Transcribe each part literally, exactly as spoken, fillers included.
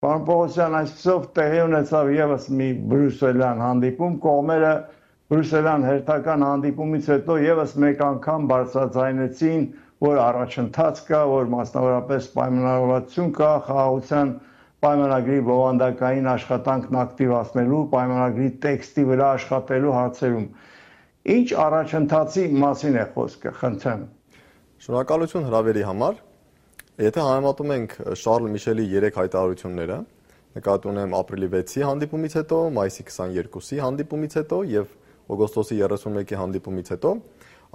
Պարոն Պողոսյան, այսպիսով տեղի ունեցավ ևս մի բրյուսելյան հանդիպում, կողմերը բրյուսելյան հերթական հանդիպումից հետո ևս մեկ անգամ բարձրաձայնեցին, որ առաջընթաց կա, որ մասնավորապես պայմանավորվածություն կա խաղաղության պայմանագրի բովանդակային աշխատանքն ակտիվացնելու, պայմանագրի տեքստի վրա աշխատելու հարցերում։ Ինչ առաջընթացի մասին է խոսքը, խնդրեմ։ Շնորհակալություն հրավերի համար։ Եթե համեմատում ենք Շարլ Միշելի երեք հայտարարությունները, նկատի ունեմ ապրիլի վեցի հանդիպումից հետո, մայիսի քսաներկուսի հանդիպումից հետո եւ օգոստոսի երեսունմեկի հանդիպումից հետո,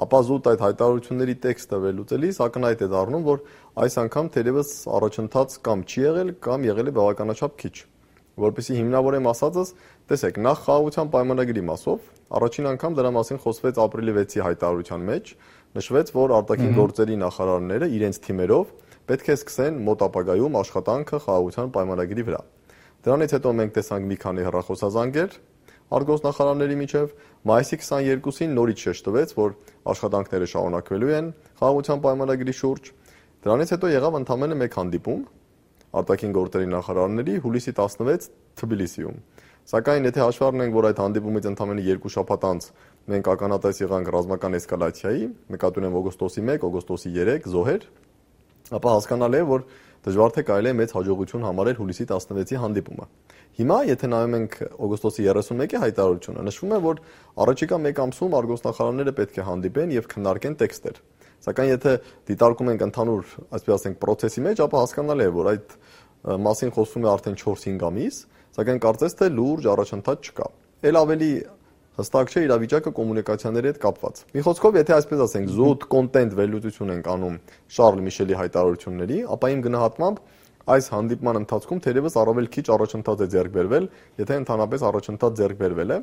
ապա զուտ այդ հայտարարությունների տեքստը վերլուծելիս ակնհայտ է դառնում, որ այս անգամ թերևս առաջընթաց կամ չի եղել, կամ եղել է բավականաչափ քիչ։ Որպեսզի հիմնավորեմ ասածս, տեսեք, նախ խաղաղության պայմանագրի մասով առաջին անգամ դրա մասին խոսվեց ապրիլի վեցի հայտարարության մեջ, նշվեց, որ արտաքին գործերի նախարարները իրենց թիմերով պետք է սկսեն մոտ ապագայում աշխատանքը խաղաղության պայմանագրի վրա։ Դրանից հետո մենք տեսանք մի քանի հեռախոսազանգեր արտգործնախարարների միջև, մայիսի քսաներկուսին նորից շեշտվեց, որ աշխատանքները շարունակվելու են խաղաղության պայմանագրի շուրջ։ Դրանից հետո եղավ ընդամենը մեկ հանդիպում արտաքին գործերի նախարարների հուլիսի տասնվեց Թբիլիսիում։ Սակայն եթե հաշվի առնենք, որ այդ հանդիպումից ընդամենը երկու շաբաթ անց մենք ականատես եղանք ռազմական էսկալացիայի, նկատի ունեմ օգոստոսի մեկ, օգոստոսի երեք զոհեր, ապա հասկանալի է, որ դժվար թե կարելի է մեծ հաջողություն համարել հուլիսի տասնվեցի հանդիպումը։ Հիմա, եթե նայում ենք օգոստոսի երեսունմեկի հայտարարությունը, նշվում է, որ առաջիկա մեկ ամսում արտգործնախարարները պետք է հանդիպեն եւ քննարկեն տեքստեր։ Սակայն եթե դիտարկում ենք ընդհանուր, այսպես ասենք, process-ի մեջ, ապա հասկանալի է, որ այդ մասին խոսվում է արդեն չորս-հինգ ամիս, սակայն կարծես թե լուրջ առաջընթաց չկա։ Էլ ավելի հստակ չէ իրավիճակը կոմունիկացիաների հետ կապված։ Մի խոսքով, եթե այսպես ասենք, զուտ կոնտենտ վերլուծություն ենք անում Շարլ Միշելի հայտարարությունների, ապա իմ գնահատմամբ այս հանդիպման ընթացքում թերևս առավել քիչ առաջընթաց է ձեռք բերվել, եթե ընդհանրապես առաջընթաց ձեռք բերվել է։